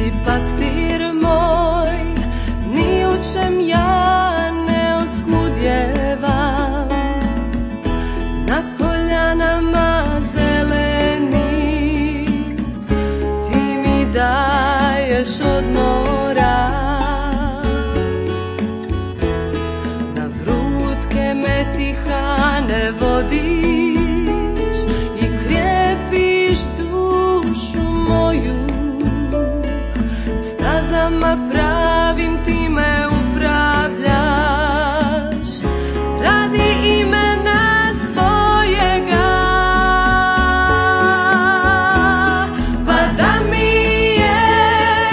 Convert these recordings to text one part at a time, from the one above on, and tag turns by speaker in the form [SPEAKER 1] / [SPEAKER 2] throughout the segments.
[SPEAKER 1] si pastir moj, ni u čem ja ne oskudjevam. Na poljanama zeleni ti mi daješ odmora, na vrutke metihane vodiš i krijepiš dušu moju. Stazama pravim ti me upravljaš, radi imena svojega. Pa da mi je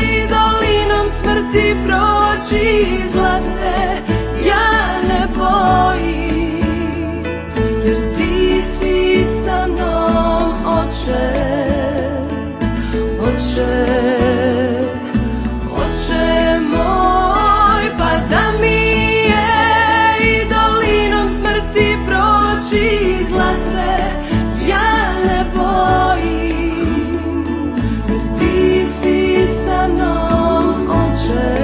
[SPEAKER 1] i dolinom smrti proći izlaze, ja ne bojim, jer ti si sa mnom, Oče, Oče. Izlaze, ja ne bojim, jer ti si sa mnom, Oče.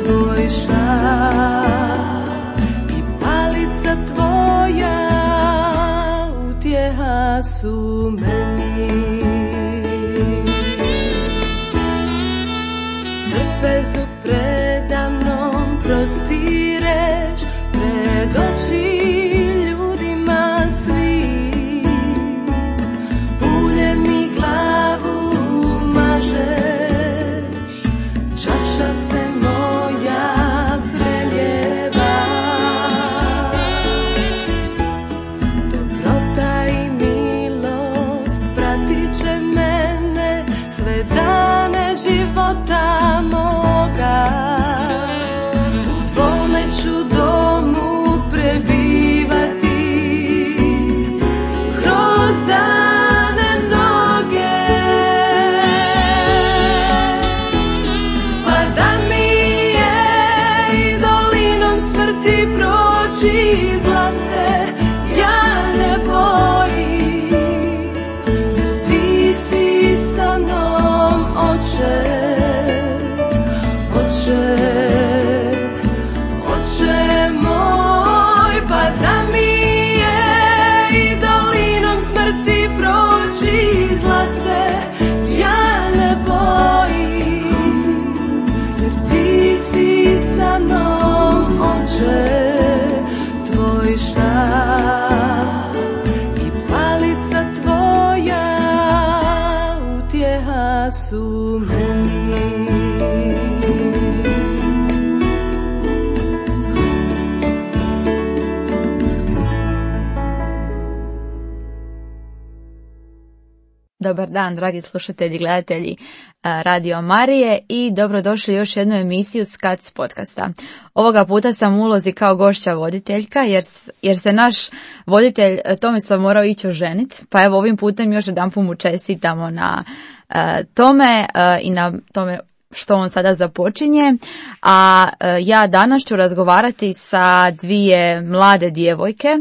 [SPEAKER 1] Tvoj štap i palica tvoja utjeha su meni. Trpezu predamnom prostireš, pred oči života moga. U tvome ću domu prebivati kroz dane mnoge. Pa da mi je i dolinom smrti proći izlaze, ja ne bojim, jer ti si sa mnom, Oče. Oče moj, pa da mi je i dolinom smrti proći izlaze, ja ne bojim, jer ti si sa mnom, Oče. Tvoj štap i palica tvoja utjeha su meni.
[SPEAKER 2] Dobar dan, dragi slušatelji i gledatelji Radio Marije i dobrodošli u još jednu emisiju SCAC podcasta. Ovoga puta sam u ulozi kao gošća voditeljka jer se naš voditelj Tomislav morao ići oženiti, pa evo ovim putem još jedanput mu čestitamo na tome i na tome što on sada započinje. A ja danas ću razgovarati sa dvije mlade djevojke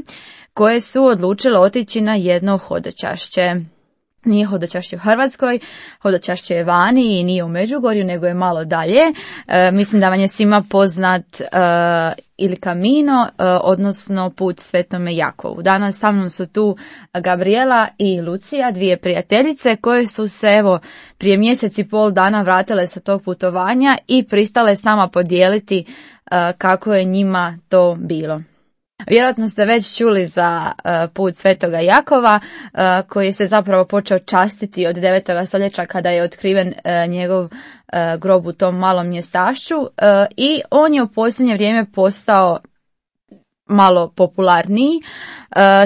[SPEAKER 2] koje su odlučile otići na jedno hodočašće. Nije hodočašće u Hrvatskoj, hodočašće je vani i nije u Međugorju, nego je malo dalje. Mislim da vam je svima poznat Il Camino, odnosno put Svetome Jakovu. Danas sa mnom su tu Gabriela i Lucija, dvije prijateljice koje su se evo prije mjesec i pol dana vratile sa tog putovanja i pristale s nama podijeliti kako je njima to bilo. Vjerojatno ste već čuli za put Svetoga Jakova koji se zapravo počeo častiti od 9. stoljeća kada je otkriven njegov grob u tom malom mjestašću i on je u posljednje vrijeme postao malo popularniji.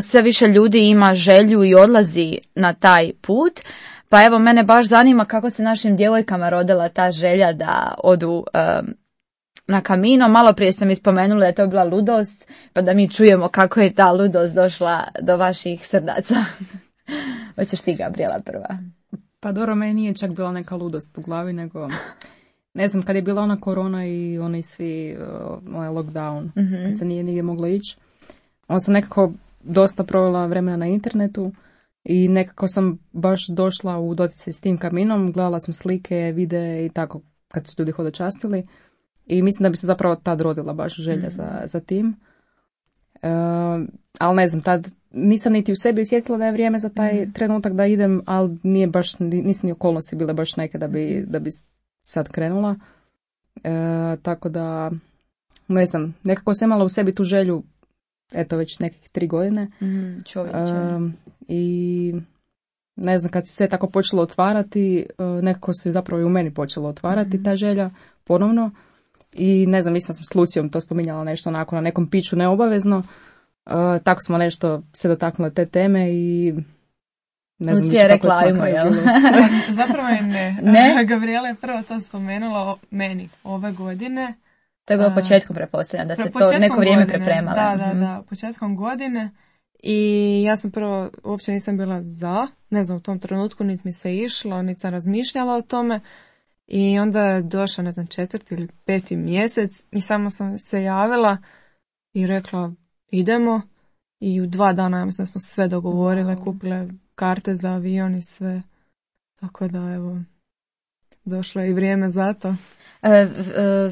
[SPEAKER 2] Sve više ljudi ima želju i odlazi na taj put. Pa evo, mene baš zanima kako se našim djevojkama rodila ta želja da odu na Camino. Malo prije sam ispomenula da je to bila ludost, pa da mi čujemo kako je ta ludost došla do vaših srdaca. Hoćeš ti, Gabriela, prva?
[SPEAKER 3] Pa dobro, meni nije čak bila neka ludost u glavi, nego ne znam, kad je bila ona korona i oni svi lockdown, kad se nije nigdje mogla ići, on sam nekako dosta provela vremena na internetu I nekako sam baš došla u doticaj s tim kaminom, gledala sam slike, videe i tako kad su ljudi hodočastili. I mislim da bi se zapravo tad rodila baš želja za tim. Ali ne znam, tad nisam niti u sebi osjetila da je vrijeme za taj trenutak da idem, ali nije baš, nisu ni okolnosti bile baš neke da bi sad krenula. Tako da, ne znam, nekako sam imala u sebi tu želju, eto već nekih 3 godine. I ne znam, kad se sve tako počelo otvarati, nekako se zapravo i u meni počelo otvarati ta želja ponovno. I ne znam, mislim da sam s Lucijom to spominjala nešto onako na nekom piću neobavezno. Tako smo nešto se dotaknule te teme i ne znam.
[SPEAKER 2] Lucija je rekla ajmo, jel?
[SPEAKER 4] Zapravo je ne. Gabriela je prvo to spomenula meni ove godine.
[SPEAKER 2] To je bilo početkom, pretpostavljam, da se to neko vrijeme pripremala.
[SPEAKER 4] Da, početkom godine. I ja sam prvo, uopće nisam bila ne znam, u tom trenutku niti mi se išlo, niti sam razmišljala o tome. I onda je došao, ne znam, 4. ili 5. mjesec i samo sam se javila i rekla idemo. I u 2 dana, ja mislim da smo sve dogovorile, kupile karte za avion i sve. Tako da, evo, došlo je i vrijeme za to.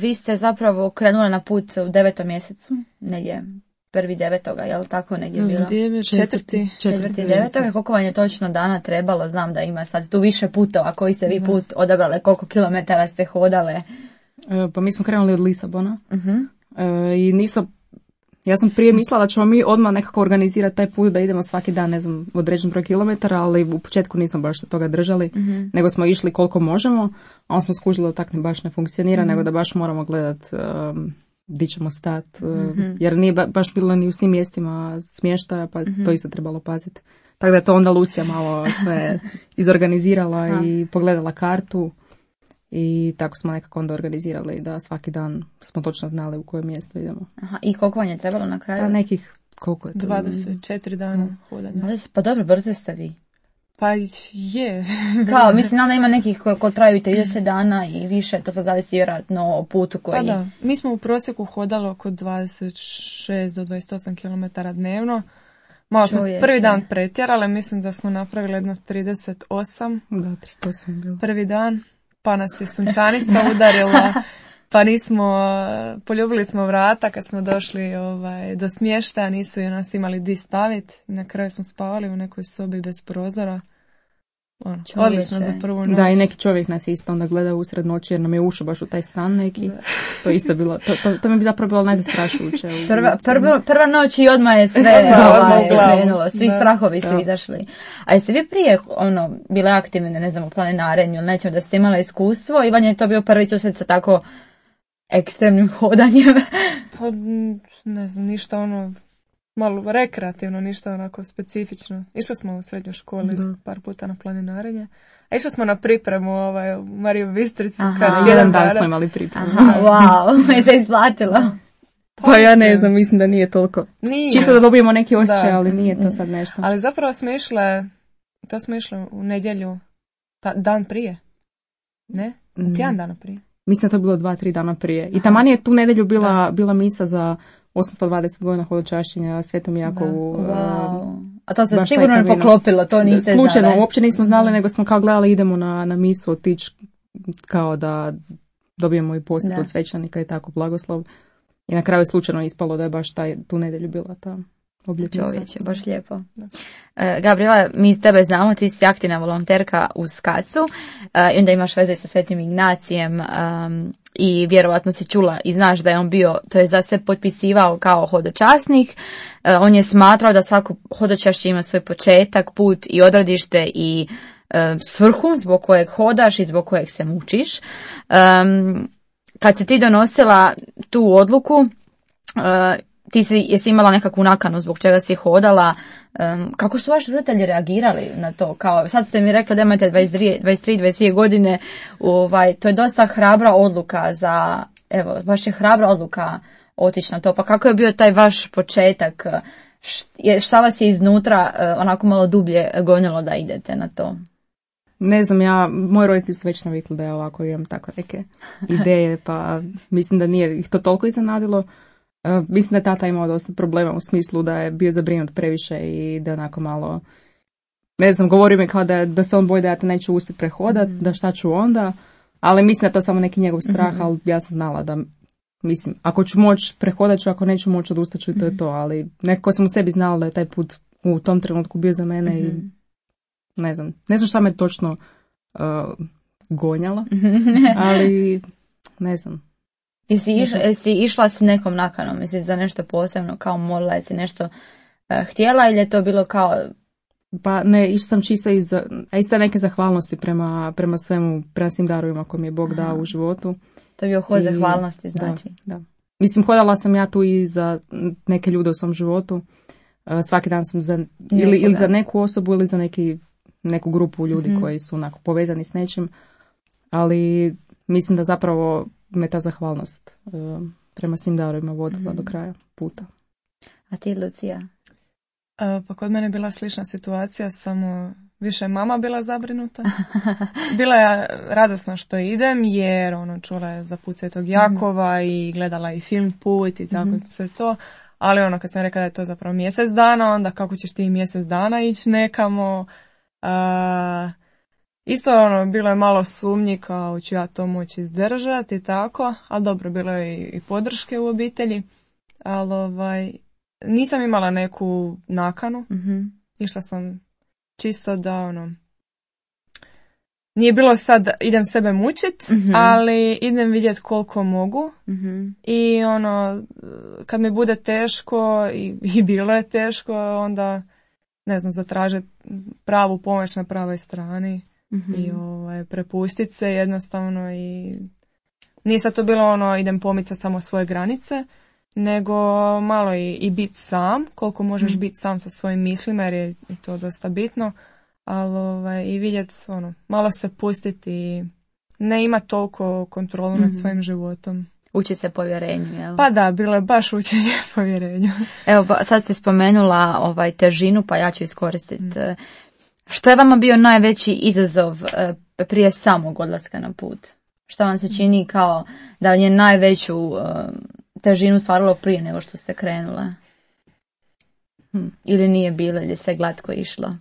[SPEAKER 2] Vi ste zapravo krenuli na put u 9. mjesecu, negdje 1.9. je li tako negdje bilo? 4.9. Koliko vam je točno dana trebalo? Znam da ima sad tu više putova. Koji ste vi put odabrali? Koliko kilometara ste hodale?
[SPEAKER 3] Pa mi smo krenuli od Lisabona. I ja sam prije mislila da ćemo mi odmah nekako organizirati taj put da idemo svaki dan, ne znam, određen broj kilometara, ali u početku nismo baš se toga držali, nego smo išli koliko možemo, a onda smo skužili da tak baš ne funkcionira, nego da baš moramo gledati di ćemo stati, jer nije baš bilo ni u svim mjestima smještaja, pa to isto trebalo paziti. Tako da je to onda Lucija malo sve izorganizirala i pogledala kartu i tako smo nekako onda organizirali da svaki dan smo točno znali u koje mjesto idemo.
[SPEAKER 2] I koliko vam je trebalo na kraju?
[SPEAKER 3] Pa nekih, koliko je to?
[SPEAKER 4] 24 dana hodanja.
[SPEAKER 2] Pa dobro, brzo ste vi.
[SPEAKER 4] Pa je.
[SPEAKER 2] Kao, mislim, da ima nekih koji traju i 30 dana i više, to sad zavisi vjerojatno o putu koji...
[SPEAKER 4] Pa da, mi smo u prosjeku hodali oko 26 do 28 km dnevno. Malo smo prvi dan pretjerali, mislim da smo napravili jedno 38.
[SPEAKER 3] Da, 38 je bilo.
[SPEAKER 4] Prvi dan, pa nas je sunčanica udarila, pa poljubili smo vrata kad smo došli do smještaja, nisu nas imali di staviti. Na kraju smo spavali u nekoj sobi bez prozora. Odlično za prvu noć.
[SPEAKER 3] Da, i neki čovjek nas isto onda gleda usred noći jer nam je ušao baš u taj stan neki. To isto bilo, to mi bi zapravo bilo najzastrašujuće.
[SPEAKER 2] Prva noć i odmah je sve krenulo, svi strahovi su izašli. A jeste vi prije bile aktivne, ne znam, u planinarenju ili nečem da ste imala iskustvo i vam je to bio prvi susret sa tako ekstremnim hodanjem?
[SPEAKER 4] Pa ne znam, ništa malo rekreativno, ništa onako specifično. Išli smo u srednjoj školi par puta na planinarenje. A išli smo na pripremu u Mariju Bistrici.
[SPEAKER 3] Jedan dan smo imali pripremu.
[SPEAKER 2] Wow, je se isplatilo.
[SPEAKER 3] Pa ja ne znam, mislim da nije toliko. Čisto da dobijemo neki osjećaj, ali nije to sad nešto.
[SPEAKER 4] Ali zapravo smo išle u nedjelju, dan prije. Ne? Tjedan dana prije.
[SPEAKER 3] Mislim da to je bilo 2-3 dana prije. I taman je tu nedjelju bila misa za 820 godina hodočašćenja Svetom Jakovu.
[SPEAKER 2] Wow. A to se sigurno ne poklopilo, to niste znali.
[SPEAKER 3] Slučajno, uopće nismo znali, nego smo kao gledali idemo na misu otići kao da dobijemo i posjet od svećenika i tako blagoslov. I na kraju je slučajno ispalo da je baš tu nedjelju bila ta obljetnica.
[SPEAKER 2] Čovječe, baš lijepo. Gabriela, mi s tebe znamo, ti si aktivna volonterka u SKAC-u i onda imaš veze sa Svetim Ignacijem i vjerovatno si čula i znaš da je on bio, to je da se potpisivao kao hodočasnik. On je smatrao da svako hodočašće ima svoj početak, put i odredište i svrhu zbog kojeg hodaš i zbog kojeg se mučiš. Kad si ti donosila tu odluku, jesi imala nekakvu nakanu zbog čega si hodala, kako su vaši roditelji reagirali na to? Kao, sad ste mi rekli da imate 23-22 godine, to je dosta hrabra odluka baš je hrabra odluka otići na to, pa kako je bio taj vaš početak? Šta vas je iznutra onako malo dublje gonilo da idete na to?
[SPEAKER 3] Ne znam, moji roditelji su već navikli da ja ovako imam tako neke ideje, pa mislim da nije ih to toliko iznenadilo. Mislim da je tata imao dosta problema u smislu da je bio zabrinut previše i da onako malo ne znam, govori mi kao da se on boji da ja te neću uspjeti prehodat, da šta ću onda, ali mislim da je to samo neki njegov strah, ali ja sam znala da, mislim, ako ću moći prehodat ću, ako neću moći odustat ću i to je to, ali nekako sam u sebi znala da je taj put u tom trenutku bio za mene i ne znam šta me točno gonjala, ali ne znam.
[SPEAKER 2] Jesi išla s nekom nakanom, misliš za nešto posebno, kao molila, jesi nešto htjela ili je to bilo kao...
[SPEAKER 3] Pa ne, išla sam čisto isto neke zahvalnosti prema svemu, prema svim darovima koje mi je Bog dao u životu.
[SPEAKER 2] To je bio hod zahvalnosti, znači.
[SPEAKER 3] Da. Mislim, hodala sam ja tu i za neke ljude u svom životu. Svaki dan sam ili za neku osobu ili za neku grupu ljudi koji su onako povezani s nečim. Ali mislim da zapravo me ta zahvalnost prema svim darovima vodila do kraja puta.
[SPEAKER 2] A ti, Lucija?
[SPEAKER 4] Pa kod mene je bila slična situacija, samo više je mama bila zabrinuta. Bila je radosna što idem, jer čula je za put Svetog Jakova i gledala i film Put i tako sve to. Ali kad sam rekla da je to zapravo mjesec dana, onda kako ćeš ti mjesec dana ići nekamo. Isto bilo je malo sumnji kao ću ja to moći izdržati i tako, ali dobro, bilo je i podrške u obitelji. Ali nisam imala neku nakanu. Išla sam čisto da nije bilo sad idem sebe mučit, ali idem vidjeti koliko mogu. I kad mi bude teško i bilo je teško, onda ne znam, zatražiti pravu pomoć na pravoj strani i prepustiti se jednostavno. I nije sad to bilo idem pomicati samo svoje granice, nego malo i biti sam, koliko možeš biti sam sa svojim mislima, jer je i to dosta bitno, ali i vidjeti, malo se pustiti i ne ima toliko kontrolu nad svojim životom.
[SPEAKER 2] Uči se povjerenju, jel?
[SPEAKER 4] Pa da, bilo je baš učenje povjerenju.
[SPEAKER 2] Evo, sad si spomenula težinu, pa ja ću iskoristiti. Što je vama bio najveći izazov prije samog odlaska na put? Što vam se čini kao da je najveću težinu stvaralo prije nego što ste krenule? Ili nije bilo, ili se glatko išlo?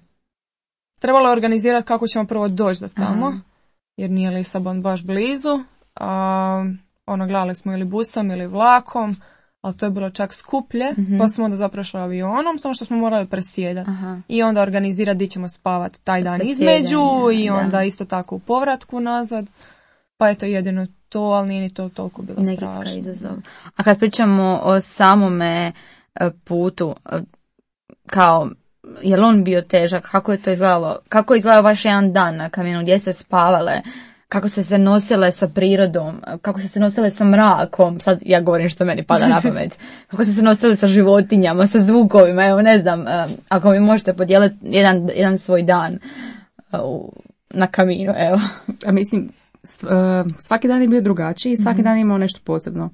[SPEAKER 4] Trebalo je organizirati kako ćemo prvo doći do tamo, jer nije Lisabon baš blizu. Gledali smo ili busom ili vlakom, ali to je bilo čak skuplje, pa smo onda zapravo šli avionom, samo što smo morali presjedati. I onda organizirati gdje ćemo spavati taj dan između i onda isto tako u povratku nazad. Pa je to jedino to, ali nije ni to toliko bilo strašno.
[SPEAKER 2] Izazov. A kad pričamo o samome putu, kao, je li on bio težak? Kako je to izgledalo? Kako je izgledao vaš jedan dan na kamionu? Gdje ste spavale? Kako ste se nosile sa prirodom? Kako ste se nosile sa mrakom? Sad ja govorim što meni pada na pamet. Kako ste se nosile sa životinjama, sa zvukovima? Evo, ne znam, ako mi možete podijeliti jedan svoj dan na kaminu, evo.
[SPEAKER 3] A mislim, svaki dan je bio drugačiji i svaki dan je imao nešto posebno.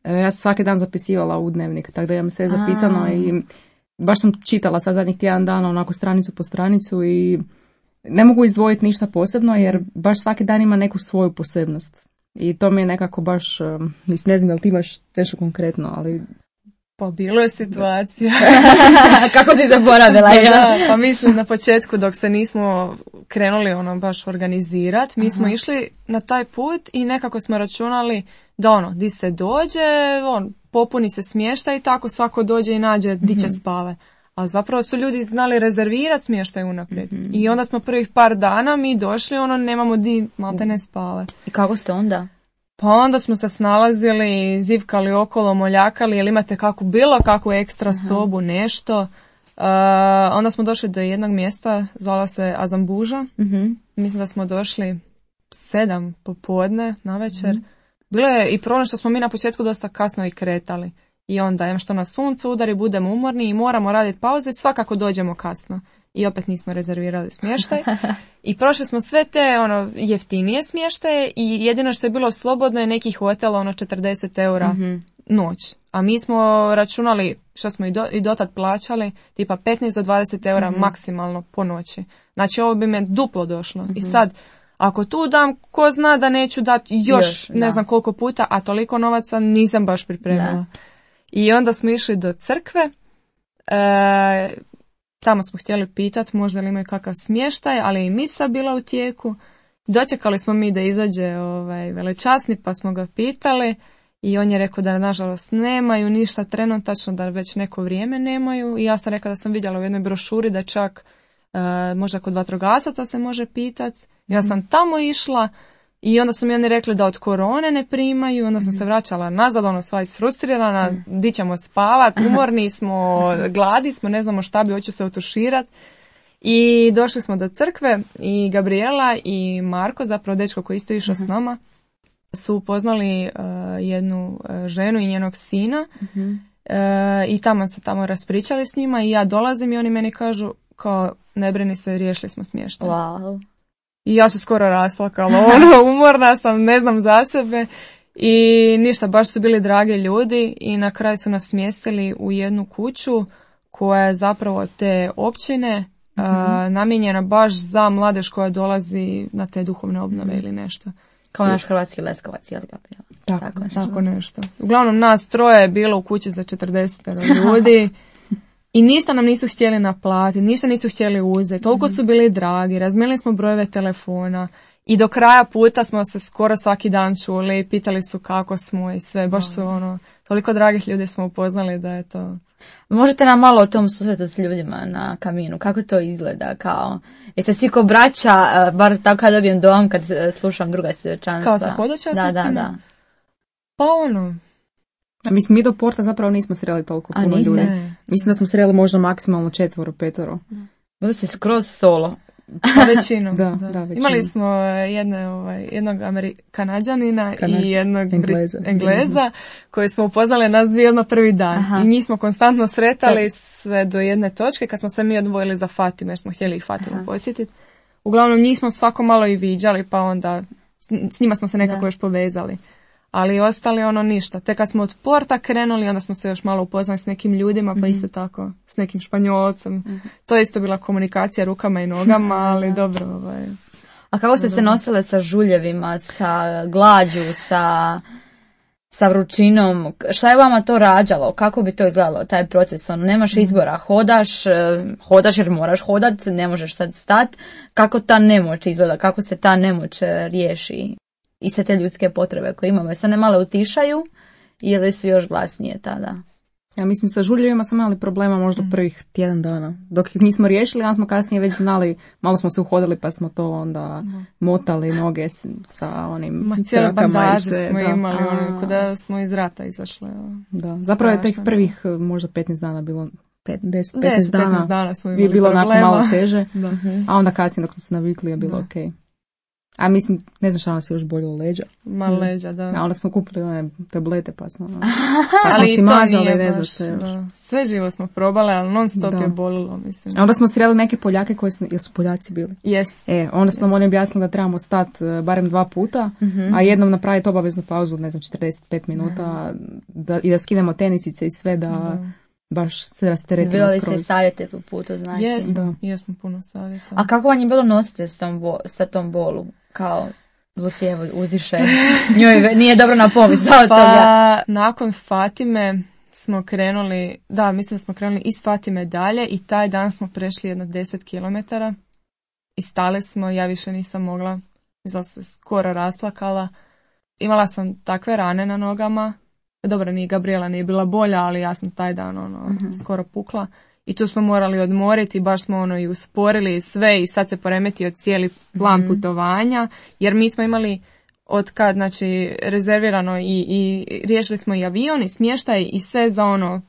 [SPEAKER 3] Ja sam svaki dan zapisivala u dnevnik, tako da imam sve zapisano i baš sam čitala sad zadnjih tjedan dana onako stranicu po stranicu i ne mogu izdvojiti ništa posebno jer baš svaki dan ima neku svoju posebnost. I to mi je nekako baš, ne znam da li ti imaš nešto konkretno, ali...
[SPEAKER 4] Pa bilo je situacija.
[SPEAKER 2] Kako si zaboravila?
[SPEAKER 4] Pa mislim na početku dok se nismo krenuli baš organizirati, mi smo išli na taj put i nekako smo računali da di se dođe, popuni se smještaj i tako svako dođe i nađe di će spave. A zapravo su ljudi znali rezervirati smještaj unaprijed. I onda smo prvih par dana mi došli, nemamo di malte ne spave.
[SPEAKER 2] I kako ste onda?
[SPEAKER 4] Pa onda smo se snalazili, zivkali okolo, moljakali, jel imate bilo kakvu ekstra sobu, nešto. Onda smo došli do jednog mjesta, zvala se Azambuža. Mislim da smo došli 7 popodne na večer. Bilo je i problem što smo mi na početku dosta kasno i kretali. I onda, što na suncu udari, budemo umorni i moramo raditi pauze, svakako dođemo kasno. I opet nismo rezervirali smještaj. I prošli smo sve te jeftinije smještaje i jedino što je bilo slobodno je neki hotel 40 eura noć. A mi smo računali, što smo i dotad plaćali, tipa 15 do 20 eura maksimalno po noći. Znači ovo bi me duplo došlo. I sad, ako tu dam, ko zna da neću dati još ne znam koliko puta, a toliko novaca nisam baš pripremila. I onda smo išli do crkve. Tamo smo htjeli pitati možda li imaju kakav smještaj, ali i misa bila u tijeku. Dočekali smo mi da izađe velečasnik, pa smo ga pitali i on je rekao da nažalost nemaju ništa trenutačno, da već neko vrijeme nemaju. I ja sam rekla da sam vidjela u jednoj brošuri da čak možda kod vatrogasaca se može pitati. Ja sam tamo išla i onda su mi oni rekli da od korone ne primaju. Onda sam se vraćala nazad, sva isfrustrirana, di ćemo spavat, umorni smo, gladi smo, ne znamo šta bi, hoću se otuširati. I došli smo do crkve i Gabriela i Marko, zapravo dečko koji isto išao s nama, su upoznali jednu ženu i njenog sina i tamo raspričali s njima i ja dolazim i oni meni kažu kao ne brini se, riješili smo smještaj.
[SPEAKER 2] Wow.
[SPEAKER 4] I ja se skoro rasplakala, umorna sam, ne znam za sebe i ništa, baš su bili dragi ljudi i na kraju su nas smjestili u jednu kuću koja je zapravo te općine namijenjena baš za mladež koja dolazi na te duhovne obnove ili nešto.
[SPEAKER 2] Kao naš hrvatski Leskovac, jel Gabriela?
[SPEAKER 4] Tako nešto. Uglavnom nas troje je bilo u kući za 40 ljudi i ništa nam nisu htjeli naplatiti, ništa nisu htjeli uzeti. Toliko su bili dragi, razmijenili smo brojeve telefona i do kraja puta smo se skoro svaki dan čuli i pitali su kako smo i sve. Baš su toliko dragih ljudi smo upoznali da je to...
[SPEAKER 2] Možete nam malo o tom susretu s ljudima na kaminu, kako to izgleda, kao, jeste svi ko braća, bar tako kad dobijem dom, kad slušam druga svjedočanstva.
[SPEAKER 4] Kao sa hodočasnicima?
[SPEAKER 2] Da.
[SPEAKER 4] Pa
[SPEAKER 3] Mislim, mi do porta zapravo nismo sreli toliko puno ljudi. Mislim da smo sreli možda maksimalno 4, 5.
[SPEAKER 2] Bili ste skroz solo.
[SPEAKER 4] Pa većinu.
[SPEAKER 3] Da.
[SPEAKER 4] Imali smo jednog Kanađanina i jednog Engleza koji smo upoznali nas dvije odmah prvi dan. Aha. I njih smo konstantno sretali sve do jedne točke kad smo se mi odvojili za Fatime jer smo htjeli i Fatimu posjetiti. Uglavnom njih smo svako malo i viđali pa onda s njima smo se nekako još povezali. Ali ostali ništa. Te kad smo od porta krenuli, onda smo se još malo upoznali s nekim ljudima, pa isto tako s nekim Španjolcem. To je isto bila komunikacija rukama i nogama, ali dobro.
[SPEAKER 2] A kako ste se nosile sa žuljevima, sa glađu, sa vrućinom? Šta je vama to rađalo? Kako bi to izgledalo, taj proces? Nemaš izbora, hodaš jer moraš hodat, ne možeš sad stat. Kako ta nemoć izgleda? Kako se ta nemoć riješi? I sve te ljudske potrebe koje imamo. Sad ne malo utišaju ili su još glasnije tada?
[SPEAKER 3] Ja mislim, sa žuljevima smo imali problema možda prvih tjedan dana. Dok ih nismo riješili, onda smo kasnije već znali, malo smo se uhodili pa smo to onda motali noge sa onim
[SPEAKER 4] cijele bandaže smo imali, kada smo iz rata izašli.
[SPEAKER 3] Da, zapravo je tek prvih možda 15 dana bilo 15
[SPEAKER 4] dana smo imali
[SPEAKER 3] je bilo onako malo teže,
[SPEAKER 4] da.
[SPEAKER 3] A onda kasnije dok smo se navikli je bilo okej. A mislim, ne znam šta nas je još boljelo leđa.
[SPEAKER 4] Malo leđa, da.
[SPEAKER 3] A onda smo kupili one tablete pa smo
[SPEAKER 4] ali
[SPEAKER 3] si mazali, ne znam što još.
[SPEAKER 4] Sve živo smo probale, ali non stop je bolilo, mislim.
[SPEAKER 3] A onda smo sreli neke Poljake koji su, jesu Poljaci bili?
[SPEAKER 4] Yes.
[SPEAKER 3] Onda su nam oni objasnili da trebamo stati barem 2 puta, a jednom napraviti obaveznu pauzu, ne znam, 45 minuta i da skinemo tenisice i sve da... baš se rasteretimo skroz.
[SPEAKER 2] Bilo li se savjete po putu, znači?
[SPEAKER 4] Jesmo puno savjeta.
[SPEAKER 2] A kako vam je bilo nositi sa tom bolu? Kao Lucija uzdiše, njoj nije dobro na pomisao toga.
[SPEAKER 4] Pa nakon Fatime smo krenuli, mislim da smo krenuli iz Fatime dalje i taj dan smo prešli jedno 10 km i stali smo, ja više nisam mogla, mislim se skoro rasplakala. Imala sam takve rane na nogama. Dobro, Gabriela nije bila bolja, ali ja sam taj dan skoro pukla. I tu smo morali odmoriti, baš smo i usporili i sve i sad se poremetio cijeli plan putovanja, jer mi smo imali od kad, znači, rezervirano i riješili smo i avion i smještaj i sve za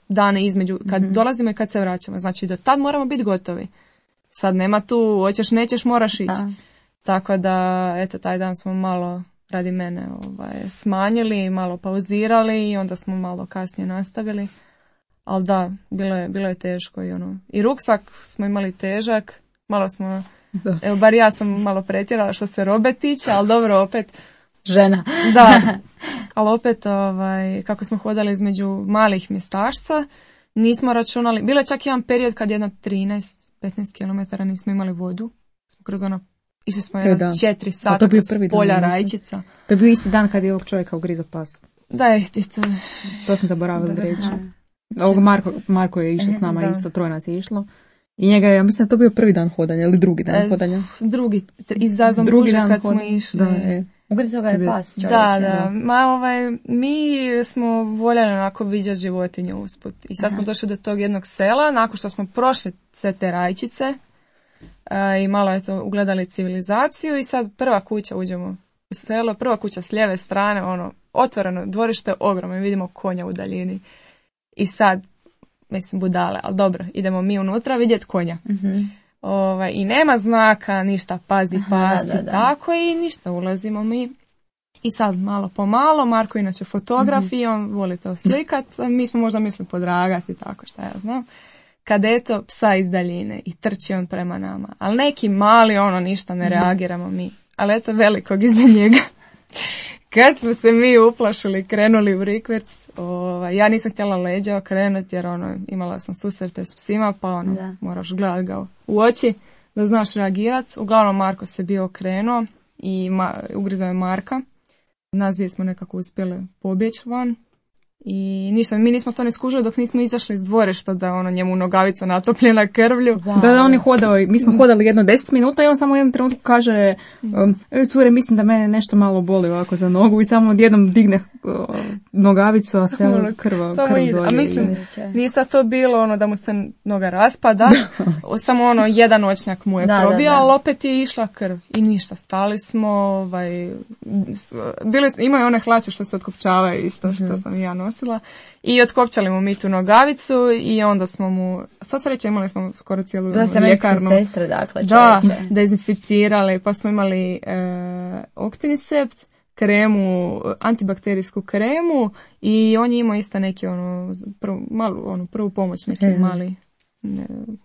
[SPEAKER 4] dane između kad dolazimo i kad se vraćamo. Znači, do tad moramo biti gotovi. Sad nema tu, hoćeš, nećeš, moraš ići. Tako da, eto, taj dan smo malo... radi mene smanjili, malo pauzirali i onda smo malo kasnije nastavili. Ali da, bilo je teško i ruksak smo imali težak, malo smo, evo bar ja sam malo pretjerala što se robe tiče, ali dobro opet.
[SPEAKER 2] Žena.
[SPEAKER 4] Da, ali opet kako smo hodali između malih mjestašca, nismo računali, bilo je čak jedan period kad jedno 13-15 km nismo imali vodu, smo kroz išli smo 4 sata kroz polja rajčica.
[SPEAKER 3] To je bio isti dan kad je ovog čovjeka ugrizao pas.
[SPEAKER 4] Da,
[SPEAKER 3] to smo zaboravili reći. Marko je išao s nama isto, 3 nas je išlo. I njega je, ja mislim da to bio prvi dan hodanja ili drugi dan hodanja.
[SPEAKER 4] Drugi, iza Zambuže kad smo išli.
[SPEAKER 3] Da, je.
[SPEAKER 2] Ugrizo ga je pas, čovječe.
[SPEAKER 4] Da. Mi smo voljeli onako viđati životinju usput. I sad smo došli do tog jednog sela, nakon što smo prošli sve te rajčice i malo je to ugledali civilizaciju i sad prva kuća uđemo u selo, prva kuća s lijeve strane, ono, otvoreno dvorište, ogromno, vidimo konja u daljini. I sad, mislim, budale, ali dobro, idemo mi unutra vidjeti konja. I nema znaka, ništa, pazi, tako i ništa, ulazimo mi. I sad malo po malo, Marko inače fotograf i on voli to slikat, mi smo možda mislili podragati, tako šta ja znam. Kad eto psa iz daljine i trči on prema nama, ali neki mali, ono, ništa ne reagiramo mi, ali eto velikog iza njega. Kad smo se mi uplašili, krenuli u rikverc, ja nisam htjela leđa okrenuti jer imala sam susrete s psima, pa moraš gledati ga u oči da znaš reagirati. Uglavnom Marko se bio okrenuo i ugrizao je Marka. Nas dvije smo nekako uspjeli pobjeći van. I ništa, mi nismo to ne skužili dok nismo izašli iz dvorišta da je njemu nogavica natopljena krvlju.
[SPEAKER 3] Da, on je hodao, mi smo hodali jedno 10 minuta i on samo u jednom trenutku kaže cure, mislim da mene nešto malo boli ovako za nogu i samo odjednom digne nogavicu, a sve krv dolje.
[SPEAKER 4] A mislim, nije sad to bilo da mu se noga raspada, samo jedan očnjak mu je probio, ali opet je išla krv i ništa, stali smo, imaju one hlače što se otkopčavaju isto što sam ja nosila i otkopčali mu mi tu nogavicu i onda smo mu, sva sreća imali smo skoro cijelu ljekarnu.
[SPEAKER 2] Sestre, dakle,
[SPEAKER 4] dezinficirali, pa smo imali Octinisept, kremu, antibakterijsku kremu i on je imao isto neki prvu pomoć, neki mali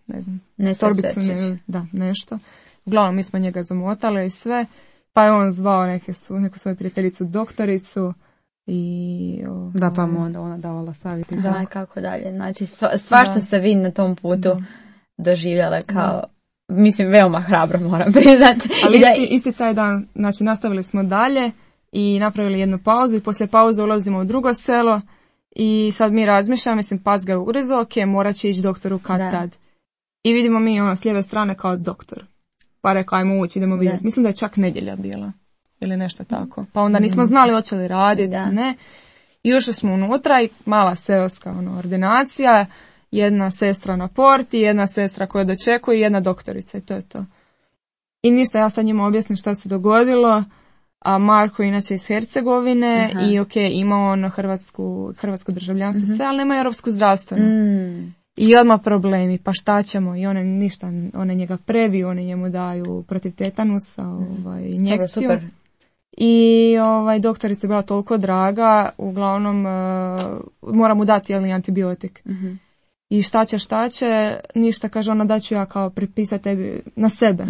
[SPEAKER 4] ne znam, torbicu, nešto. Uglavnom mi smo njega zamotali i sve, pa je on zvao neku svoju prijateljicu doktoricu i
[SPEAKER 3] da, pa mu onda ona davala savjeti.
[SPEAKER 2] Da, kako dalje. Znači, svašta ste vi na tom putu doživjele kao, mislim, veoma hrabro moram priznati.
[SPEAKER 4] Ali isti taj dan, znači, nastavili smo dalje i napravili jednu pauzu i poslije pauze ulazimo u drugo selo i sad mi razmišljamo, mislim, pas ga je ugrizo, morat će ići doktoru tad. I vidimo mi s lijeve strane kao doktor. Pa rekao, ajmo ući, idemo vidjeti. Mislim da je čak nedjelja bila. Ili nešto tako. Pa onda nismo znali hoće li raditi, ne. I ušli smo unutra i mala seoska ordinacija, jedna sestra na porti, jedna sestra koja dočekuje i jedna doktorica i to je to. I ništa, ja sad njima objasnim šta se dogodilo, a Marko inače iz Hercegovine i ima on hrvatsko državljanstvo sve, ali nema europsku zdravstvenu. I odmah problemi, pa šta ćemo? I one ništa, one njega previju, one njemu daju protiv tetanusa injekciju. Super. I doktorica je bila toliko draga, uglavnom mora mu dati antibiotik. I šta će, ništa, kaže ona, da ću ja kao pripisati tebi na sebe.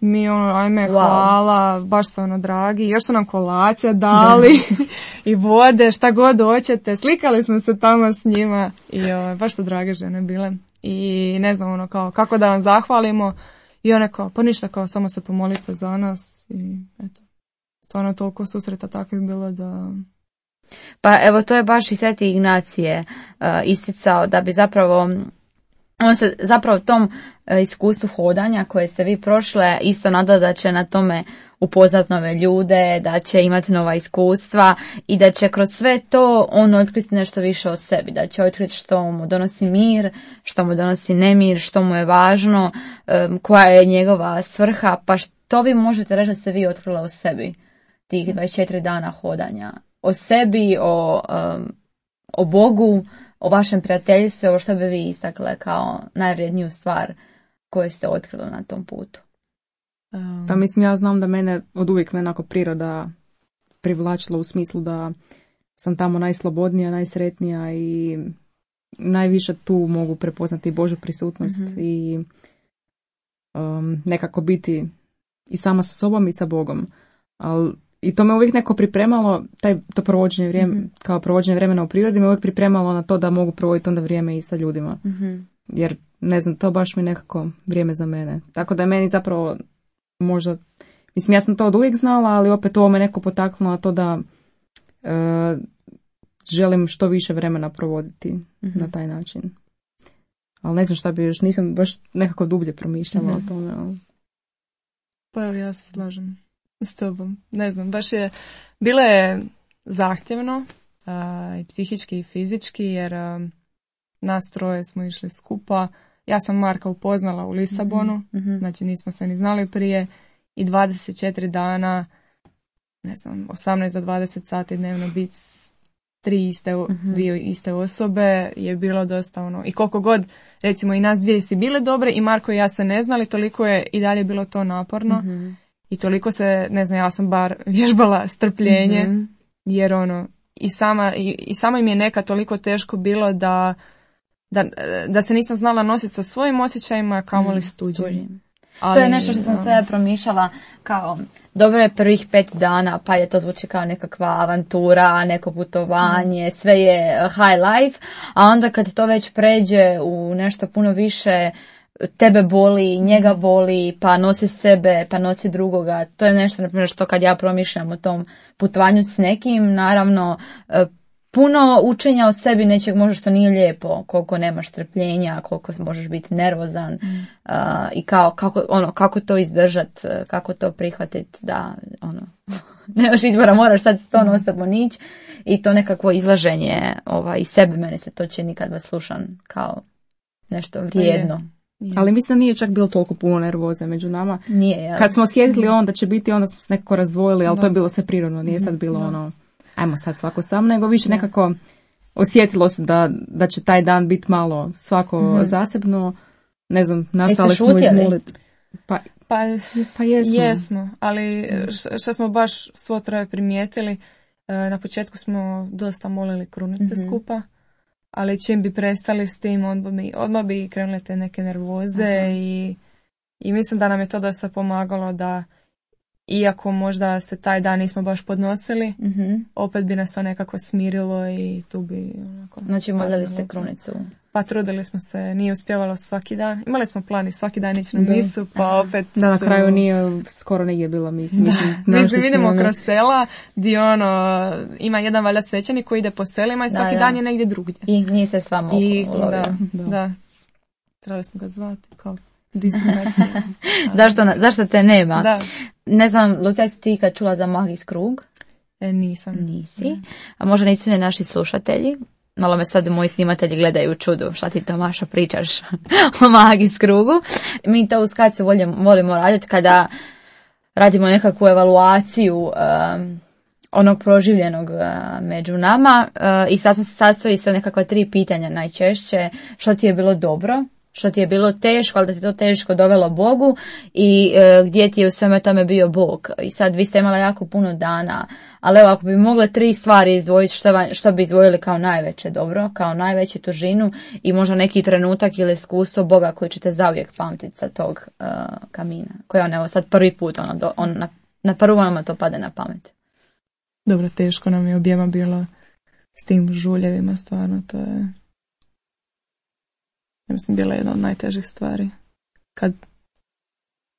[SPEAKER 4] Mi ajme, hvala, baš su dragi, još su nam kolače dali i vode, šta god hoćete, slikali smo se tamo s njima i baš su drage žene bile. I ne znam, kao, kako da vam zahvalimo i one kao, pa ništa, kao, samo se pomolite za nas i eto. Stvarno toliko susreta takvih bilo da...
[SPEAKER 2] Pa evo, to je baš i Sveti Ignacije isticao da bi zapravo, on se zapravo tom iskustvu hodanja koje ste vi prošle isto nada da će na tome upoznat nove ljude, da će imati nova iskustva i da će kroz sve to on otkriti nešto više o sebi, da će otkriti što mu donosi mir, što mu donosi nemir, što mu je važno, koja je njegova svrha, pa što vi možete reći da ste vi otkrila o sebi tih 24 dana hodanja? O sebi, o Bogu, o vašem prijateljstvu, o što bi vi istakle kao najvrijedniju stvar koju ste otkrili na tom putu?
[SPEAKER 3] Pa mislim, ja znam da mene od uvijek onako priroda privlačila u smislu da sam tamo najslobodnija, najsretnija i najviše tu mogu prepoznati Božju prisutnost i nekako biti i sama sa sobom i sa Bogom. I to me uvijek neko pripremalo, to provođenje vrijeme, kao provođenje vremena u prirodi me uvijek pripremalo na to da mogu provoditi onda vrijeme i sa ljudima. Jer, ne znam, to baš mi nekako vrijeme za mene. Tako da je meni zapravo možda, mislim, ja sam to od uvijek znala, ali opet ovo me neko potaknulo na to da želim što više vremena provoditi na taj način. Ali ne znam šta bi još, nisam baš nekako dublje promišljala o tome. Ali...
[SPEAKER 4] Pa evo, ja se slažem s tobom. Ne znam, baš je, bilo je zahtjevno, i psihički i fizički, jer nas troje smo išli skupa. Ja sam Marka upoznala u Lisabonu, znači nismo se ni znali prije, i 24 dana, ne znam, 18 do 20 sati dnevno biti dvije iste osobe je bilo dosta ono. I koliko god, recimo, i nas dvije si bile dobre i Marko i ja se ne znali, toliko je i dalje bilo to naporno. I toliko se, ne znam, ja sam bar vježbala strpljenje, jer ono, i sama im je nekad toliko teško bilo da se nisam znala nositi sa svojim osjećajima, kamoli s tuđim. Ali,
[SPEAKER 2] to je nešto što sam sve promišljala kao, dobro je prvih 5 dana, pa je to zvuči kao nekakva avantura, neko putovanje, sve je high life, a onda kad to već pređe u nešto puno više, tebe boli, njega boli, pa nosi sebe, pa nosi drugoga. To je nešto, na primjer, što kad ja promišljam o tom putovanju s nekim, naravno, puno učenja o sebi nečeg možda što nije lijepo, koliko nemaš strpljenja, koliko možeš biti nervozan i kako to izdržat, kako to prihvatiti da nemaš izbora, moraš sad to non-stop nić i to nekakvo izlaženje iz sebe, meni se to čini kad vas slušam kao nešto vrijedno.
[SPEAKER 3] Je. Ali mislim da nije čak bilo toliko puno nervoze među nama.
[SPEAKER 2] Nije, ja.
[SPEAKER 3] Kad smo osjetili da će biti, onda smo se nekako razdvojili, ali to je bilo sve prirodno, nije sad bilo ajmo sad svako sam, nego više nekako osjetilo se da će taj dan biti malo svako zasebno, ne znam, nastali smo izmoliti. Pa
[SPEAKER 4] jesmo, ali što smo baš svo troje primijetili, na početku smo dosta molili krunice skupa, ali čim bi prestali s tim, odmah bi krenule te neke nervoze i mislim da nam je to dosta pomagalo da, iako možda se taj dan nismo baš podnosili, opet bi nas to nekako smirilo i tu bi onako...
[SPEAKER 2] Znači molili ste krunicu?
[SPEAKER 4] Pa trudili smo se, nije uspjevalo svaki dan. Imali smo plan i svaki dan ići na misu, pa opet...
[SPEAKER 3] Da, na kraju skoro nije bila misa.
[SPEAKER 4] Mislim, vidimo kroz sela gdje ima jedan valjda svećenik koji ide po selima i svaki dan je negdje drugdje.
[SPEAKER 2] I nije se s vama ulovio.
[SPEAKER 4] Da. Trebali smo ga zvati kao...
[SPEAKER 2] Zašto te nema?
[SPEAKER 4] Da.
[SPEAKER 2] Ne znam, Lucija, si ti kad čula za Magijs krug?
[SPEAKER 4] Nisam.
[SPEAKER 2] Nisi. A možda nisu ni naši slušatelji. Malo me sad moji snimatelji gledaju u čudu. Šta ti to, Maša, pričaš o Magijs krugu? Mi to u Skacu volimo raditi kada radimo nekakvu evaluaciju onog proživljenog među nama. I sad sastoji se nekakva 3 pitanja najčešće. Što ti je bilo dobro? Što ti je bilo teško, ali da ti to teško dovelo Bogu i gdje ti je u sveme tome bio Bog. I sad vi ste imala jako puno dana, ali evo ako bi mogle 3 stvari izdvojiti, što bi izdvojili kao najveće dobro, kao najveću težinu i možda neki trenutak ili iskustvo Boga koji ćete zauvijek pamtiti sa tog kamina. Koji evo sad prvi put, na prvu nama to pade na pamet.
[SPEAKER 4] Dobro, teško nam je objema bilo s tim žuljevima, stvarno to je... Ja mislim, bila je jedna od najtežih stvari. Kad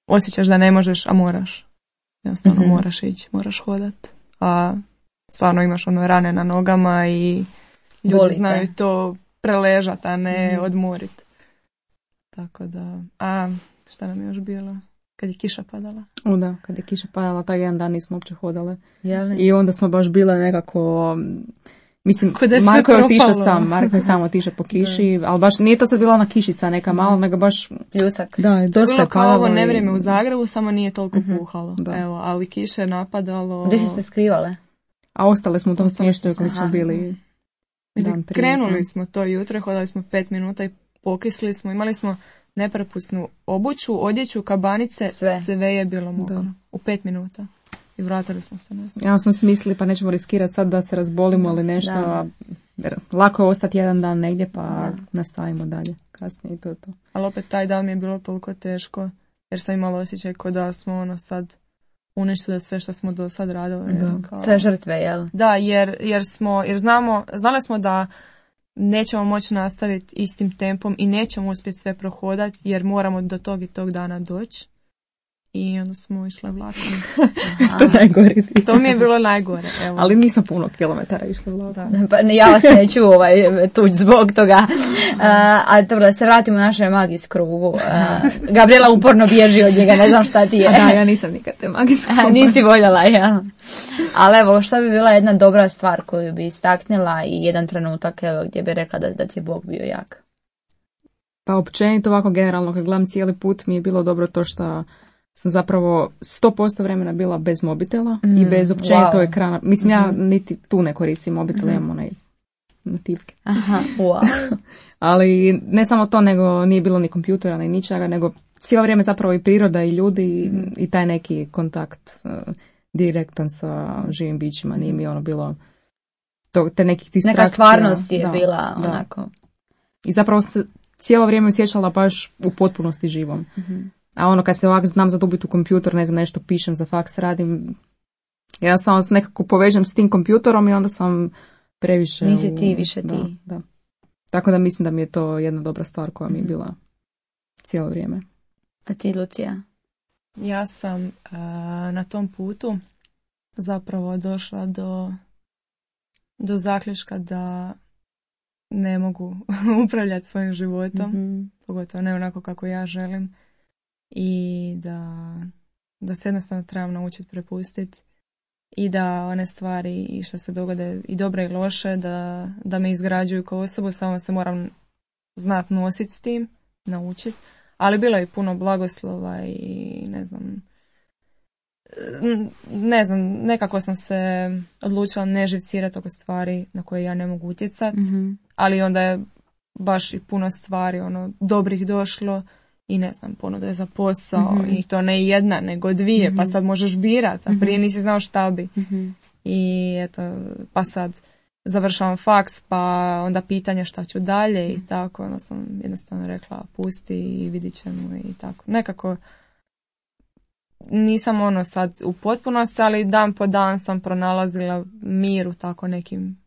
[SPEAKER 4] osjećaš da ne možeš, a moraš. Jednostavno moraš ići, moraš hodat. A stvarno imaš rane na nogama i ljudi znaju to preležat, a ne odmorit. Tako da... A šta nam je još bilo? Kad je kiša padala?
[SPEAKER 3] Da, kad je kiša padala, taj jedan dan nismo uopće hodale. I onda smo baš bile nekako... Mislim, Marko je otišao sam, Marko je samo otišao po kiši, ali baš nije to sad bila ona kišica neka malo, nego baš
[SPEAKER 2] pljusak.
[SPEAKER 3] Da, dosta
[SPEAKER 4] bilo kao ovo nevrijeme u Zagrebu, samo nije toliko puhalo. Evo, ali kiše je napadalo.
[SPEAKER 2] Gdje ste se skrivale?
[SPEAKER 3] A ostale smo u tom smještaju koji smo bili.
[SPEAKER 4] Mislim, krenuli smo to jutro, hodali smo 5 minuta i pokisli smo, imali smo neprepusnu obuću, odjeću, kabanice, sve je bilo mokro. U 5 minuta. I vratili smo se.
[SPEAKER 3] Ja smo si mislili pa nećemo riskirati sad da se razbolimo ili nešto. Jer lako je ostati jedan dan negdje pa nastavimo dalje. Kasnije i to.
[SPEAKER 4] Ali opet taj dan mi je bilo toliko teško jer sam imala osjećaj kao da smo sad uništili sve što smo do sad radili. Kao...
[SPEAKER 2] Sve žrtve, jel?
[SPEAKER 4] Da, jer znali smo da nećemo moći nastaviti istim tempom i nećemo uspjeti sve prohodati jer moramo do tog i tog dana doći. I onda smo išle vlakom. To mi je bilo najgore. Evo.
[SPEAKER 3] Ali nisam puno kilometara išle vlakom.
[SPEAKER 2] Pa ja vas neću tući zbog toga. A dobro, da se vratimo u našoj magijs krugu. Gabriela uporno bježi od njega, ne znam šta ti je.
[SPEAKER 3] Da, ja nisam nikad te magijs krugu.
[SPEAKER 2] Nisi voljela, ja. Ali evo, šta bi bila jedna dobra stvar koju bi istaknila i jedan trenutak evo, gdje bi rekla da ti je Bog bio jak?
[SPEAKER 3] Pa općenito ovako generalno, kad gledam cijeli put, mi je bilo dobro to što sam zapravo 100% vremena bila bez mobitela i bez općenito ekrana. Mislim, ja niti tu ne koristim mobitel, imam onaj nativke.
[SPEAKER 2] Aha, wow.
[SPEAKER 3] Ali ne samo to, nego nije bilo ni kompjutera, ni ničega, nego cijelo vrijeme zapravo i priroda i ljudi i taj neki kontakt direktan sa živim bićima. Nije mi ono bilo te nekih distrakcija.
[SPEAKER 2] Neka stvarnost je bila onako.
[SPEAKER 3] I zapravo se cijelo vrijeme osjećala baš u potpunosti živom. A ono kad se ovak znam zadubiti u kompjuter, ne znam, nešto pišem, za faks radim, ja samo se nekako povežem s tim kompjuterom i onda sam previše...
[SPEAKER 2] Nisi ti više ti.
[SPEAKER 3] Da. Tako da mislim da mi je to jedna dobra stvar koja mi je bila cijelo vrijeme.
[SPEAKER 2] A ti, Lucija?
[SPEAKER 4] Ja sam na tom putu zapravo došla do zaključka da ne mogu upravljati svojim životom, pogotovo ne onako kako ja želim, i da se jednostavno trebam naučiti prepustiti i da one stvari i što se dogode i dobre i loše da me izgrađuju kao osobu, samo se moram znati nositi s tim, naučiti, ali bilo je puno blagoslova i ne znam, nekako sam se odlučila ne živcirati oko stvari na koje ja ne mogu utjecati, ali onda je baš i puno stvari dobrih došlo i ne znam, ponuda je za posao i to ne jedna, nego dvije, pa sad možeš birati, a prije nisi znao šta bi. I eto, pa sad završavam faks, pa onda pitanje šta ću dalje i tako, onda sam jednostavno rekla pusti i vidit ćemo i tako. Nekako nisam sad u potpunosti, ali dan po dan sam pronalazila mir u tako nekim,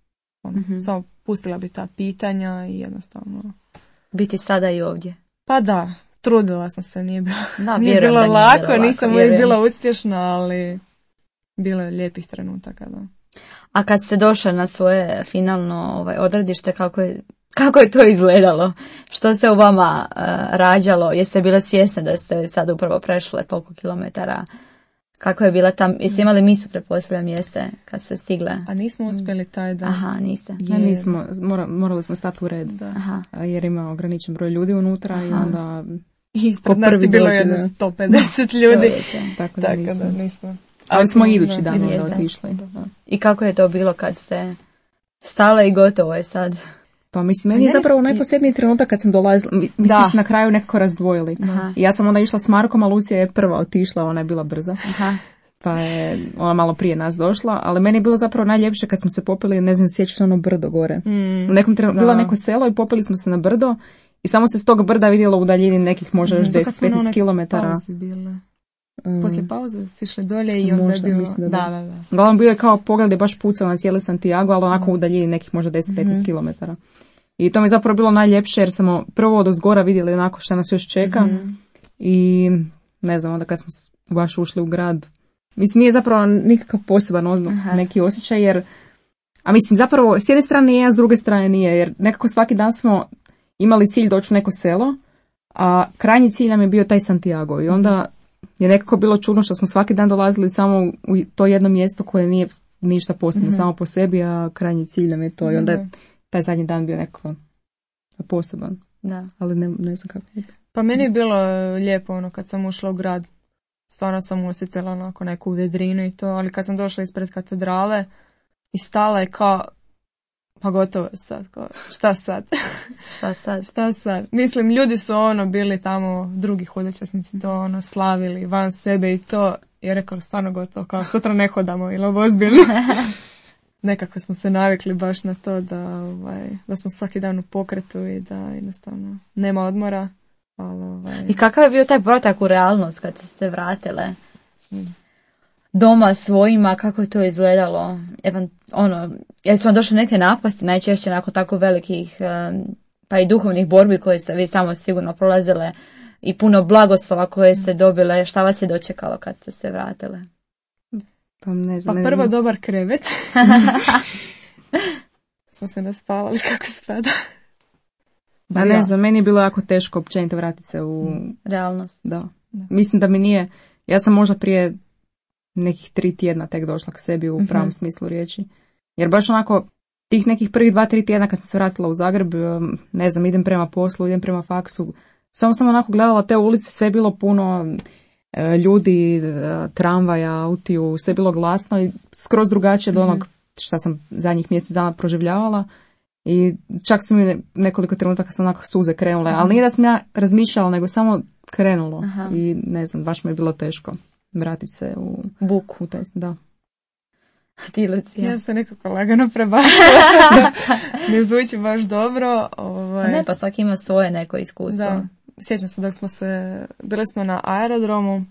[SPEAKER 4] samo pustila bi ta pitanja i jednostavno...
[SPEAKER 2] Biti sada i ovdje.
[SPEAKER 4] Pa da, trudila sam se, nije bilo lako, nisam uvijek bila uspješna, ali bilo je lijepih trenutaka. Da.
[SPEAKER 2] A kad ste došli na svoje finalno odredište, kako je to izgledalo? Što se u vama rađalo? Jeste bile svjesne da ste sad upravo prešle toliko kilometara? Kako je bila tam? Jeste imali misu, pretpostavljam, jeste kad ste stigle?
[SPEAKER 4] A nismo uspjeli taj dan.
[SPEAKER 2] Aha, niste.
[SPEAKER 3] Nismo, morali smo stati u red. Jer ima ograničen broj ljudi unutra i onda...
[SPEAKER 4] Ispred nas je bilo jedno 150 ljudi.
[SPEAKER 3] Tako da
[SPEAKER 4] nismo.
[SPEAKER 3] Ali smo idući dan otišli.
[SPEAKER 2] I kako je to bilo kad ste stale i gotovo je sad?
[SPEAKER 3] Pa mislim, meni je zapravo najposebniji trenutak kad sam dolazila, mi smo se na kraju nekako razdvojili. I ja sam onda išla s Markom, a Lucija je prva otišla, ona je bila brza. Pa je ona malo prije nas došla, ali meni je bilo zapravo najljepše kad smo se popeli, ne znam, sjećaš ono brdo gore. U nekom trenutku bilo neko selo i popeli smo se na brdo i samo se s tog brda vidjelo u daljini nekih možda još 10-15 kilometara.
[SPEAKER 4] Poslije pauze si išli dolje i onda je bilo... Da.
[SPEAKER 3] Uglavnom bio je kao pogled je baš pucao na cijeli Santiago, ali onako u daljini nekih možda 10-15 kilometara. I to mi je zapravo bilo najljepše jer smo prvo od ozgora vidjeli onako što nas još čeka i ne znam, onda kad smo baš ušli u grad, mislim nije zapravo nikakav poseban neki osjećaj jer, a mislim zapravo s jedne strane je, a s druge strane nije, jer nekako svaki dan smo imali cilj doći u neko selo, a krajnji cilj nam je bio taj Santiago i onda je nekako bilo čudno što smo svaki dan dolazili samo u to jedno mjesto koje nije ništa posebno samo po sebi, a krajnji cilj nam je to i onda je taj zadnji dan bio nekako poseban.
[SPEAKER 2] Da.
[SPEAKER 3] Ali ne znam kako je.
[SPEAKER 4] Pa meni je bilo lijepo kad sam ušla u grad. Stvarno sam osjetila onako neku vedrinu i to, ali kad sam došla ispred katedrale i stala je kao, pa gotovo je sad, kao, šta sad? Šta sad? Mislim, ljudi su bili tamo, drugi hodočasnici to slavili van sebe i to, je rekao stvarno gotovo, kao sutra ne hodamo ili ovo ozbiljno. Nekako smo se navikli baš na to da smo svaki dan u pokretu i da jednostavno nema odmora.
[SPEAKER 2] I kakav je bio taj povratak u realnost kad ste vratile doma svojima, kako je to izgledalo? Jesu vam došle neke napasti, najčešće nakon tako velikih pa i duhovnih borbi koje ste vi samo sigurno prolazile i puno blagoslova koje ste dobile, šta vas je dočekalo kad ste se vratile?
[SPEAKER 4] Pa prvo dobar krevet. Smo se naspavali kako spada.
[SPEAKER 3] A ne znam, meni je bilo jako teško općenito vratiti se u
[SPEAKER 2] realnost.
[SPEAKER 3] Da. Mislim da mi nije, ja sam možda prije nekih 3 tjedna tek došla k sebi u pravom smislu riječi. Jer baš onako, tih nekih prvih 2-3 tjedna kad sam se vratila u Zagreb, ne znam, idem prema poslu, idem prema faksu, samo sam onako gledala te ulice, sve je bilo puno ljudi, tramvaja, autiju, sve je bilo glasno i skroz drugačije od onog što sam zadnjih mjesec dana proživljavala. I čak su mi nekoliko trenutaka sam onako suze krenule, ali nije da sam ja razmišljala, nego samo krenulo. I ne znam, baš mi je bilo teško vratiti se u
[SPEAKER 2] buku.
[SPEAKER 3] U taj, da.
[SPEAKER 2] Ti, Lucija?
[SPEAKER 4] Ja se nekako lagano prebacila. Ne zvuči baš dobro.
[SPEAKER 2] Ne, pa svaki ima svoje neko iskustvo.
[SPEAKER 4] Da. Sjećam se dok smo bili smo na aerodromu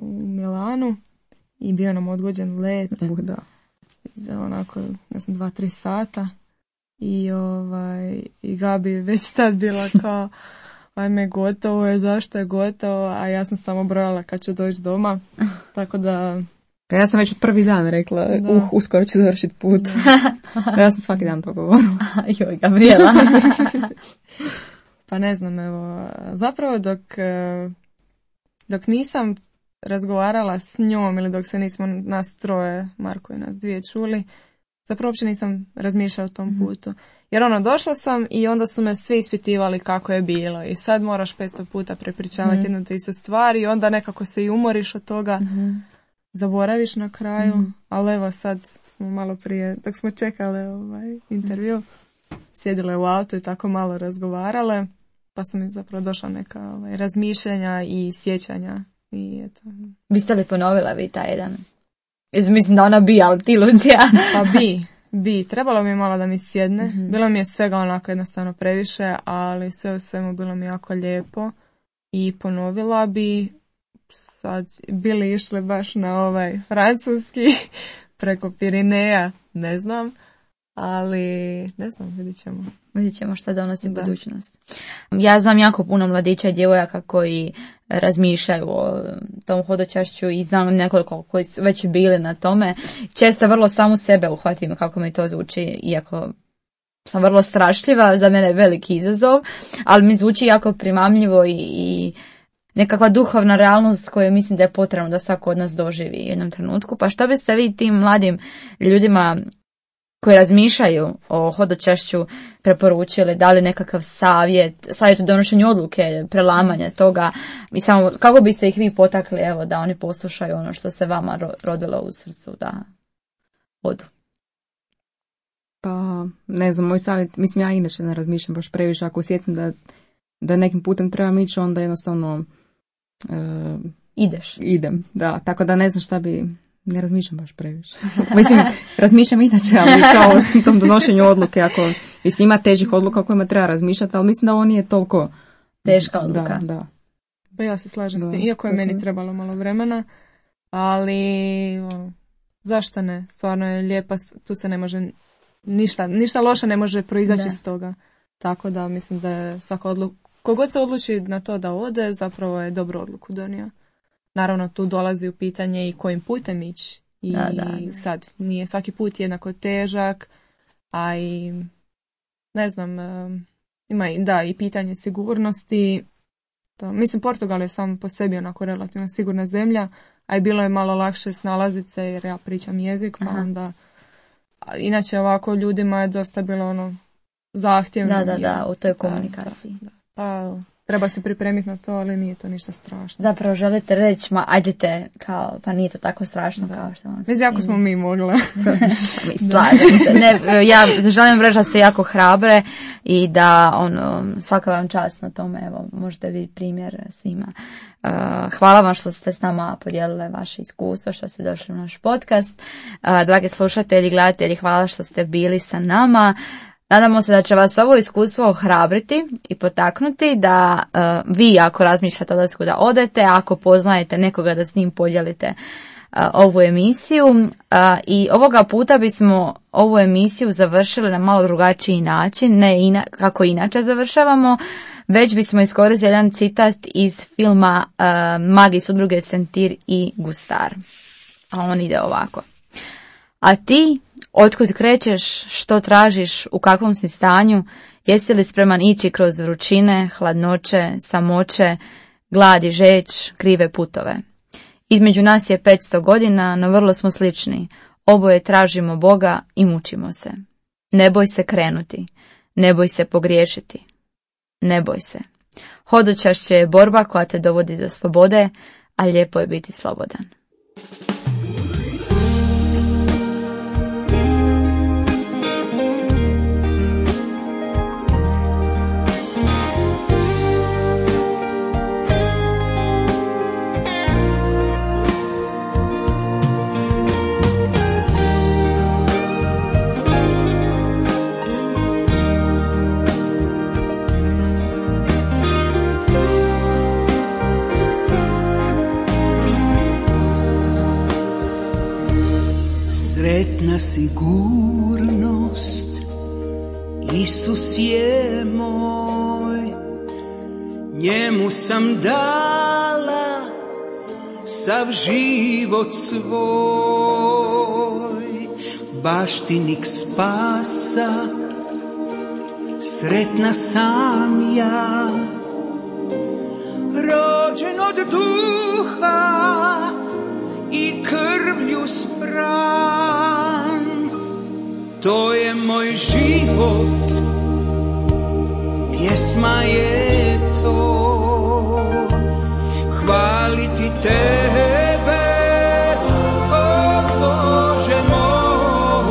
[SPEAKER 4] u Milanu i bio nam odgođen let.
[SPEAKER 3] Da.
[SPEAKER 4] Za onako, ne znam, 2-3 sata. I Gabi već tad bila kao, ajme, gotovo je, zašto je gotovo, a ja sam samo brojala kad ću doći doma. Tako da...
[SPEAKER 3] Ja sam već prvi dan rekla, uskoro ću završiti put. Ja sam svaki dan to govorila.
[SPEAKER 2] Joj, Gabriela.
[SPEAKER 4] Pa ne znam, evo, zapravo dok nisam razgovarala s njom ili dok se nismo nas troje, Marko i nas dvije, čuli, zapravo uopće nisam razmišljala o tom putu. Jer došla sam i onda su me svi ispitivali kako je bilo i sad moraš 500 puta prepričavati jednu te istu stvar i onda nekako se i umoriš od toga, zaboraviš na kraju, ali evo sad smo malo prije, dok smo čekali intervju, sjedile u auto i tako malo razgovarale, pa su mi zapravo došla neka razmišljanja i sjećanja. I eto.
[SPEAKER 2] Biste li ponovila vi taj jedan? Mislim da ona bi, ali ti, Lucija.
[SPEAKER 4] Pa bi. Trebalo mi je malo da mi sjedne. Bilo mi je svega onako jednostavno previše, ali sve u svemu bilo mi jako lijepo. I ponovila bi, sad bili išli baš na francuski preko Pirineja, ne znam. Ali, ne znam, vidit ćemo
[SPEAKER 2] šta donosi budućnost. Ja znam jako puno mladića i djevojaka koji razmišljaju o tom hodočašću i znam nekoliko koji su već bili na tome. Često vrlo samu sebe uhvatim kako mi to zvuči, iako sam vrlo strašljiva, za mene je veliki izazov, ali mi zvuči jako primamljivo i nekakva duhovna realnost koju mislim da je potrebno da svako od nas doživi u jednom trenutku. Pa što biste vi tim mladim ljudima koji razmišljaju o hodočašću preporučili, dali nekakav savjet u donošenju odluke, prelamanja toga i samo kako bi se ih vi potakli, evo, da oni poslušaju ono što se vama rodilo u srcu da odu?
[SPEAKER 3] Pa, ne znam, moj savjet, mislim, ja inače ne razmišljam baš previše, ako osjetim da nekim putem trebam ići, onda jednostavno idem, da, tako da ne znam šta bi. Ne razmišljam baš previše. Mislim, razmišljam inače, ali kao u tom donošenju odluke, ako ima težih odluka o kojima treba razmišljati, ali mislim da ovo nije toliko
[SPEAKER 2] teška odluka.
[SPEAKER 3] Da.
[SPEAKER 4] Pa ja se slažem s tim, iako je meni trebalo malo vremena, ali zašto ne? Stvarno je lijepa, tu se ne može ništa loše ne može proizaći iz toga. Tako da mislim da je svaka odluka, kogod se odluči na to da ode, zapravo je dobru odluku donio. Naravno, tu dolazi u pitanje i kojim putem ići. I sad nije svaki put jednako težak, a i ne znam, ima i pitanje sigurnosti. Mislim, Portugal je sam po sebi onako relativno sigurna zemlja, a i bilo je malo lakše snalaziti se jer ja pričam jezik, pa onda inače ovako ljudima je dosta bilo zahtjevno.
[SPEAKER 2] Da, u toj komunikaciji.
[SPEAKER 4] Da. Pa treba se pripremiti na to, ali nije to ništa strašno.
[SPEAKER 2] Zapravo želite reći, ajdete, kao, pa nije to tako strašno kao što vam se
[SPEAKER 4] čini. Jako smo mi mogli.
[SPEAKER 2] Slažem se. Ne, ja želim reći da ste jako hrabre i da svaka vam čast na tome, evo, možete biti primjer svima. Hvala vam što ste s nama podijelile vaše iskustvo, što ste došli u naš podcast. Dragi slušatelji, gledatelji, hvala što ste bili sa nama. Nadamo se da će vas ovo iskustvo ohrabriti i potaknuti da vi, ako razmišljate o odlasku, da odete, ako poznajete nekoga da s njim podijelite ovu emisiju. I ovoga puta bismo ovu emisiju završili na malo drugačiji način, ne kako inače završavamo, već bismo iskoristili jedan citat iz filma Magis udruge Sentir i Gustar. A on ide ovako. A ti, Otkud krećeš, što tražiš, u kakvom si stanju, jesi li spreman ići kroz vrućine, hladnoće, samoće, glad i žeć, krive putove. Između nas je 500 godina, no vrlo smo slični. Oboje tražimo Boga i mučimo se. Ne boj se krenuti, ne boj se pogriješiti. Ne boj se. Hodočašće je borba koja te dovodi do slobode, a lijepo je biti slobodan.
[SPEAKER 1] Sretna sigurnost, Isus je moj, njemu sam dala sav život svoj, baštinik spasa, sretna sam ja, rođen od duha i krvlju spran. To je moj život, pjesma je to, hvaliti tebe, o Bože moj.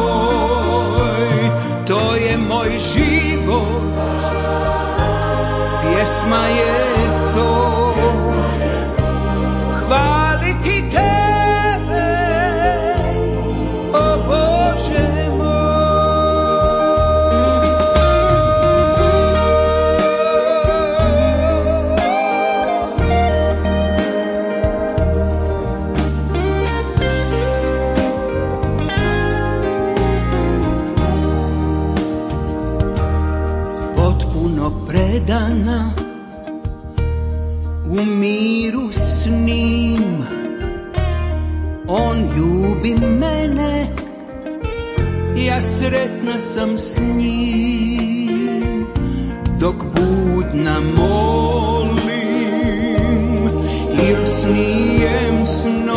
[SPEAKER 1] To je moj život, pjesma je to, hvaliti tebe, o Bože moj. Potpuno predana, u miru s njim, on ljubi mene, ja sretna sam s njim. Dok budna molim, il snijem snom,